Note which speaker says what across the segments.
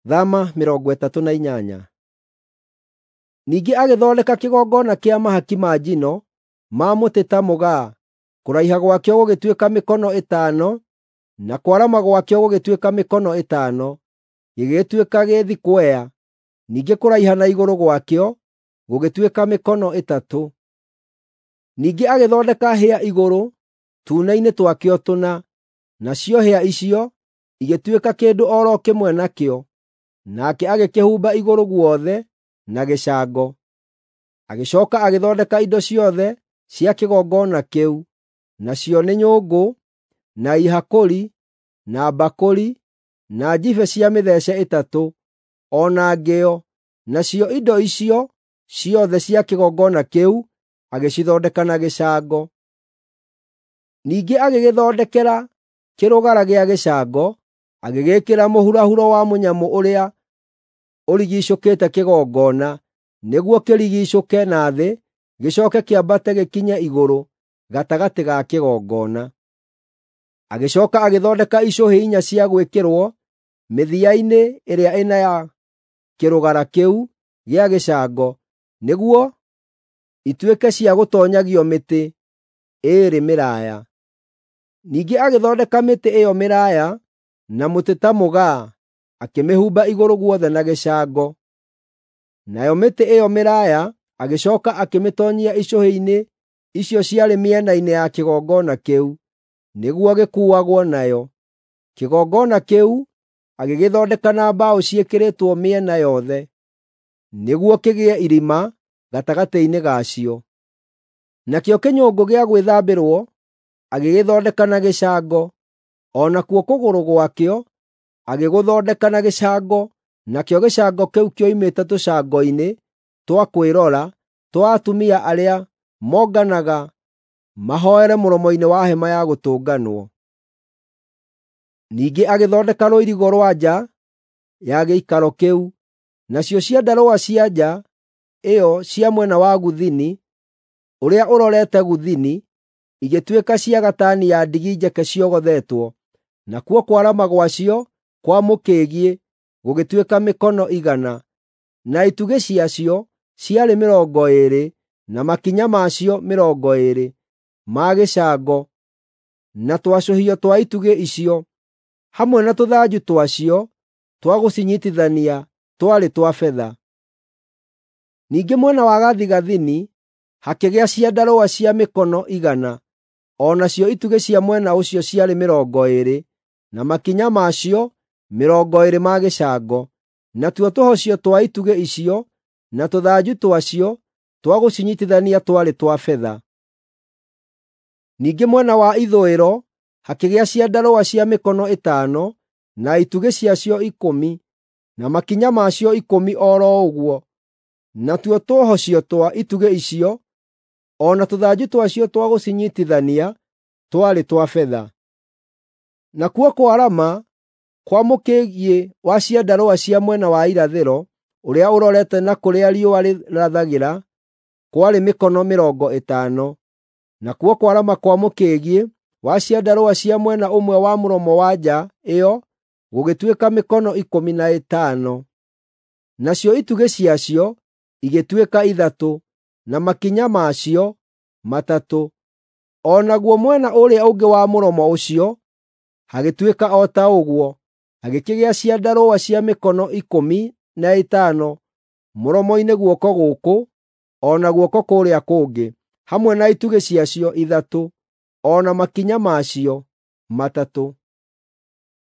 Speaker 1: Thama 38. Ningĩ agĩthondeka kĩgongona kĩa mahaki ma njino ma mũtĩ ta mũgaa, kũraiha gwakĩo gũgĩtuĩka mĩkono 5, na kwarama gwakĩo gũgĩtuĩka mĩkono 5, gĩgĩtuĩka gĩ thikwea, ningĩ kũraiha na igũrũ gwakĩo gũgĩtuĩka mĩkono 3. Ningĩ agĩthondeka hĩa igũrũ tuune-inĩ twakĩo tũna, nacio hĩa icio igĩtuĩka kĩndũ o ro kĩmwe nakĩo, nake agĩkĩhumba igũrũ guothe na gĩcango. Agĩcooka agĩthondeka indo ciothe cia kĩgongona kĩu, nacio nĩ nyũngũ, na ihakũri, na mbakũri, na njibe cia mĩthece 3, o na ngĩo, nacio indo icio ciothe cia kĩgongona kĩu agĩcithondeka na gĩcango. Ningĩ agĩgĩthondekera kĩrũgara gĩa gĩcango, agĩgĩĩkĩra mũhurahuro wa mũnyamũ ũrĩa ũrigiicũkĩte kĩgongona, nĩguo kĩrigiicũke na thĩ gĩcooke kĩambate gĩkinye igũrũ gatagatĩ ga kĩgongona. Agĩcooka agĩthondeka icũhĩ 4 cia gwĩkĩrwo mĩthia-inĩ ĩrĩa ĩna ya kĩrũgara kĩu gĩa gĩcango, nĩguo ituĩke cia gũtoonyagio mĩtĩ ĩĩrĩ mĩraaya. Ningĩ agĩthondeka mĩtĩ ĩyo mĩraaya na mũtĩ ta mũgaa, akĩmĩhumba igũrũ guothe na gĩcango. Nayo mĩtĩ ĩyo mĩraaya agĩcooka akĩmĩtoonyia icũhĩ-inĩ icio ciarĩ mĩena-inĩ ya kĩgongona kĩu, nĩguo gĩkuuagwo nayo. Kĩgongona kĩu agĩgĩthondeka na mbaũ ciĩkĩrĩtwo mĩena yothe, nĩguo kĩgĩe irima gatagatĩ-inĩ gacio. Nakĩo kĩnyũngũ gĩa gwĩthambĩrwo agĩgĩthondeka na gĩcango, o nakuo kũgũrũ gwakĩo agĩgũthondeka na gĩcango, nakĩo gĩcango kĩu kĩoimĩte tũcango-inĩ twa kwĩrora twa atumia arĩa monganaga mahooere mũromo-inĩ wa Hema-ya-Gũtũnganwo. Ningĩ agĩthondeka rũirigo rwa nja ya gĩikaro kĩu, nacio ciandarũa cia nja ĩyo cia mwena wa gũthini, ũrĩa ũrorete gũthini, igĩtuĩka cia gatani ya ndigi njeke ciogothetwo, nakuo kwarama gwacio kwa mũkĩgiĩ gũgĩtuĩka mĩkono 100, na itugĩ ciacio ciarĩ 20, na makinya macio 20 ma gĩcango, na twacũhio twa itugĩ icio, hamwe na tũthanju twacio twa gũcinyiitithania twarĩ twa betha. Ningĩ mwena wa gathigathini hakĩgĩa ciandarũa cia mĩkono 100, o nacio itugĩ cia mwena ũcio ciarĩ 20, na makinya macio 20 ma gĩcango, natuo tũhocio twa itugĩ icio na tũthanju twacio twa gũcinyiitithania twarĩ twa betha. Ningĩ mwena wa ithũĩro hakĩgĩa ciandarũa cia mĩkono 5, na itugĩ ciacio 10, na makinya macio 10 o ro ũguo, natuo tũhocio twa itugĩ icio o na tũthanju twacio twa gũcinyiitithania twarĩ twa betha. Nakuo kwarama kwa mũkĩgiĩ wa ciandarũa cia mwena wa irathĩro, ũrĩa ũrorete na kũrĩa riũa rĩrathagĩra, kwarĩ mĩkono 50. Nakuo kwarama kwa mũkĩgiĩ wa ciandarũa cia mwena ũmwe wa mũromo wa nja ĩyo gũgĩtuĩka mĩkono 15. Nacio itugĩ ciacio igĩtuĩka 3, na makinya macio 3. O naguo mwena ũrĩa ũngĩ wa mũromo ũcio hagĩtuĩka o ta ũguo, hagĩkĩgĩa ciandarũa cia mĩkono 15 mũromo-inĩ guoko gũkũ o na guoko kũrĩa kũngĩ, hamwe na itugĩ ciacio 3, o na makinya macio 3.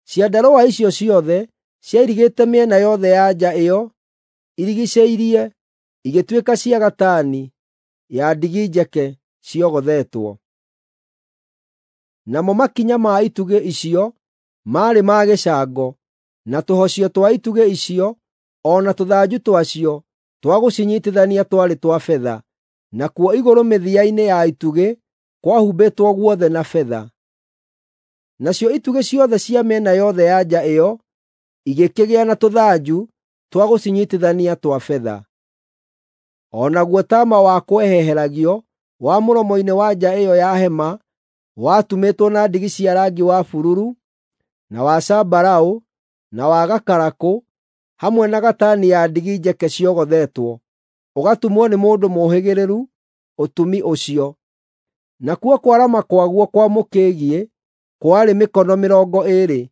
Speaker 1: Ciandarũa icio ciothe ciairigĩte mĩena yothe ya nja ĩyo irigiicĩirie, igĩtuĩka cia gatani ya ndigi njeke ciogothetwo. Namo makinya ma itugĩ icio maarĩ ma gĩcango, na tũhocio twa itugĩ icio o na tũthanju twacio twa gũcinyiitithania twarĩ twa betha, nakuo igũrũ mĩthia-inĩ ya itugĩ kwahumbĩtwo guothe na betha. Nacio itugĩ ciothe cia mĩena yothe ya nja ĩyo igĩkĩgĩa na tũthanju twa gũcinyiitithania twa betha. O naguo taama wa kweheheragio wa mũromo-inĩ wa nja ĩyo ya hema watumĩtwo na ndigi cia rangi wa bururu, na wa zambarau, na wa gakarakũ, hamwe na gatani ya ndigi njeke ciogothetwo, ũgatumwo nĩ mũndũ mũũhĩgĩrĩru ũtumi ũcio. Nakuo kwarama kwaguo kwa mũkĩgiĩ kwarĩ mĩkono 20,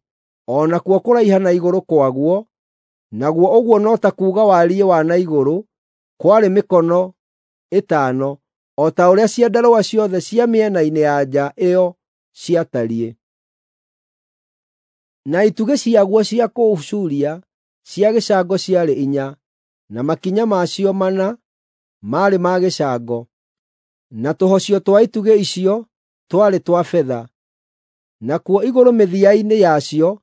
Speaker 1: o nakuo kũraiha na igũrũ kwaguo, naguo ũguo no ta kuuga wariĩ wa na igũrũ, kwarĩ mĩkono 5, o ta ũrĩa ciandarũa ciothe cia mĩena-inĩ ya nja ĩyo ciatariĩ. Na itugĩ ciaguo cia kũũcuuria cia gĩcango ciarĩ 4, na makinya macio 4 maarĩ ma gĩcango, na tũhocio twa itugĩ icio twarĩ twa betha. Nakuo igũrũ mĩthia-inĩ yacio,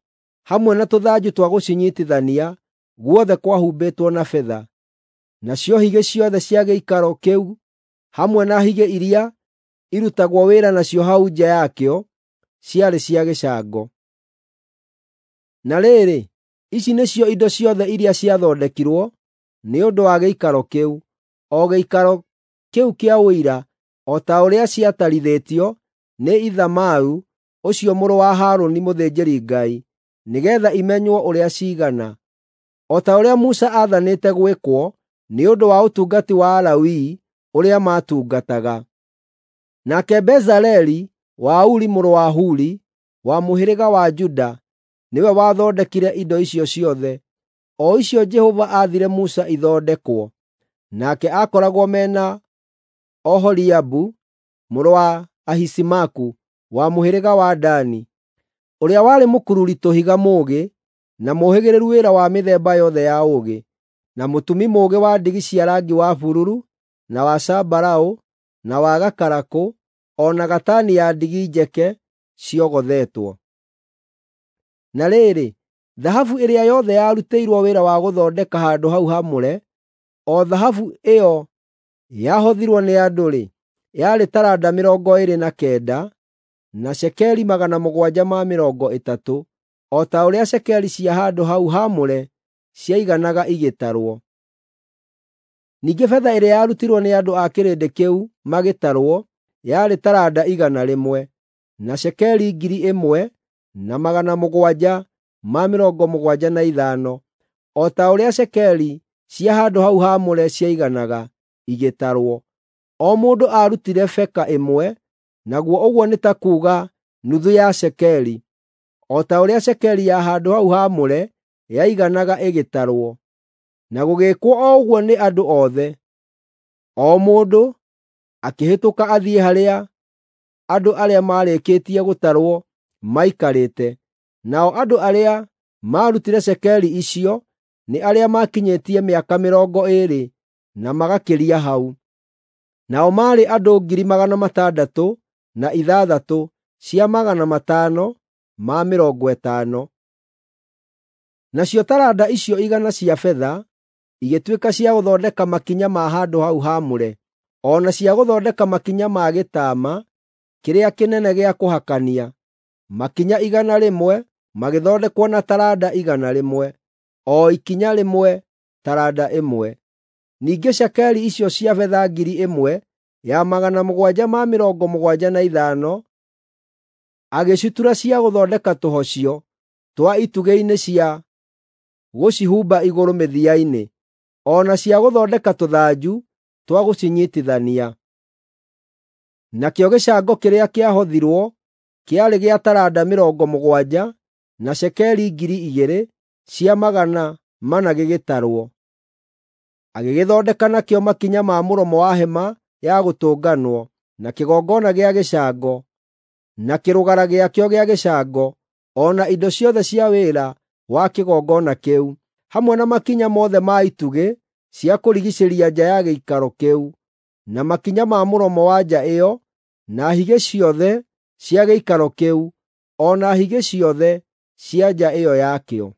Speaker 1: hamwe na tũthanju twa gũcinyiitithania, guothe kwahumbĩtwo na betha. Nacio higĩ ciothe cia gĩikaro kĩu hamwe na higĩ iria irutagwo wĩra nacio hau nja yakĩo ciarĩ cia gĩcango. Na rĩrĩ, ici nĩcio indo ciothe iria ciathondekirwo nĩ ũndũ wa gĩikaro kĩu, o gĩikaro kĩu kĩa Ũira, o ta ũrĩa ciatarithĩtio nĩ Ithamaru ũcio mũrũ wa Harũni mũthĩnjĩri-Ngai, nĩgeetha imenywo ũrĩa ciigana, o ta ũrĩa Musa aathanĩte gwĩkwo nĩ ũndũ wa ũtungati wa Alawii ũrĩa maatungataga. Nake Bezaleli wa Uri mũrũ wa Huri, wa mũhĩrĩga wa Juda, nĩwe wathondekire indo icio ciothe, o icio Jehova aathire Musa ithondekwo. Nake aakoragwo mena Oholiabu mũrũ wa Ahisamaku wa mũhĩrĩga wa Dani, ũrĩa warĩ mũkururi tũhiga mũũgĩ na mũũhĩgĩrĩru wĩra wa mĩthemba yothe ya ũũgĩ, na mũtumi mũũgĩ wa ndigi cia rangi wa bururu, na wa zambarau, na wa gakarakũ, o na gatani ya ndigi njeke ciogothetwo. Na rĩrĩ, thahabu ĩrĩa yothe yarutĩirwo wĩra wa gũthondeka handũ hau haamũre, o thahabu ĩyo yahothirwo nĩ andũ-rĩ, yarĩ taranda 29, na cekeri 730, o ta ũrĩa cekeri cia handũ hau haamũre ciaiganaga igĩtarwo. Ningĩ betha ĩrĩa yarutirwo nĩ andũ a kĩrĩndĩ kĩu magĩtarwo yarĩ taranda 100, na cekeri 1,775, o ta ũrĩa cekeri cia handũ hau haamũre ciaiganaga igĩtarwo. O mũndũ aarutire beka ĩmwe, naguo ũguo nĩ ta kuuga nuthu ya cekeri, o ta ũrĩa cekeri ya handũ hau haamũre yaiganaga ĩgĩtarwo. Na gũgĩĩkwo o ũguo nĩ andũ othe. O mũndũ akĩhĩtũka athiĩ harĩa andũ arĩa maarĩkĩtie gũtarwo maikarĩte. Nao andũ arĩa maarutire cekeri icio nĩ arĩa maakinyĩtie mĩaka 20 na magakĩria hau. Nao maarĩ andũ 606,550. Nacio taranda icio 100 cia betha igĩtuĩka cia gũthondeka makinya ma handũ hau haamũre, o na cia gũthondeka makinya ma gĩtaama kĩrĩa kĩnene gĩa kũhakania, makinya 100 magĩthondekwo na taranda 100, o ikinya rĩmwe taranda ĩmwe. Ningĩ cekeri icio cia betha 1,775 agĩcitura cia gũthondeka tũhocio twa itugĩ-inĩ cia gũcihumba igũrũ mĩthia-inĩ, o na cia gũthondeka tũthanju twa gũcinyiitithania. Nakĩo gĩcango kĩrĩa kĩahothirwo kĩarĩ gĩa taranda 70, na cekeri 2,400 gĩgĩtarwo. Agĩgĩthondeka nakĩo makinya ma mũromo wa hema ya gũtũnganwo, na kĩgongona gĩa gĩcango, na kĩrũgara gĩakĩo gĩa gĩcango, o na indo ciothe cia wĩra wa kĩgongona kĩu, hamwe na makinya mothe ma itugĩ cia kũrigiicĩria nja ya gĩikaro kĩu, na makinya ma mũromo wa nja ĩyo, na higĩ ciothe cia gĩikaro kĩu, o na higĩ ciothe cia nja ĩyo yakĩo.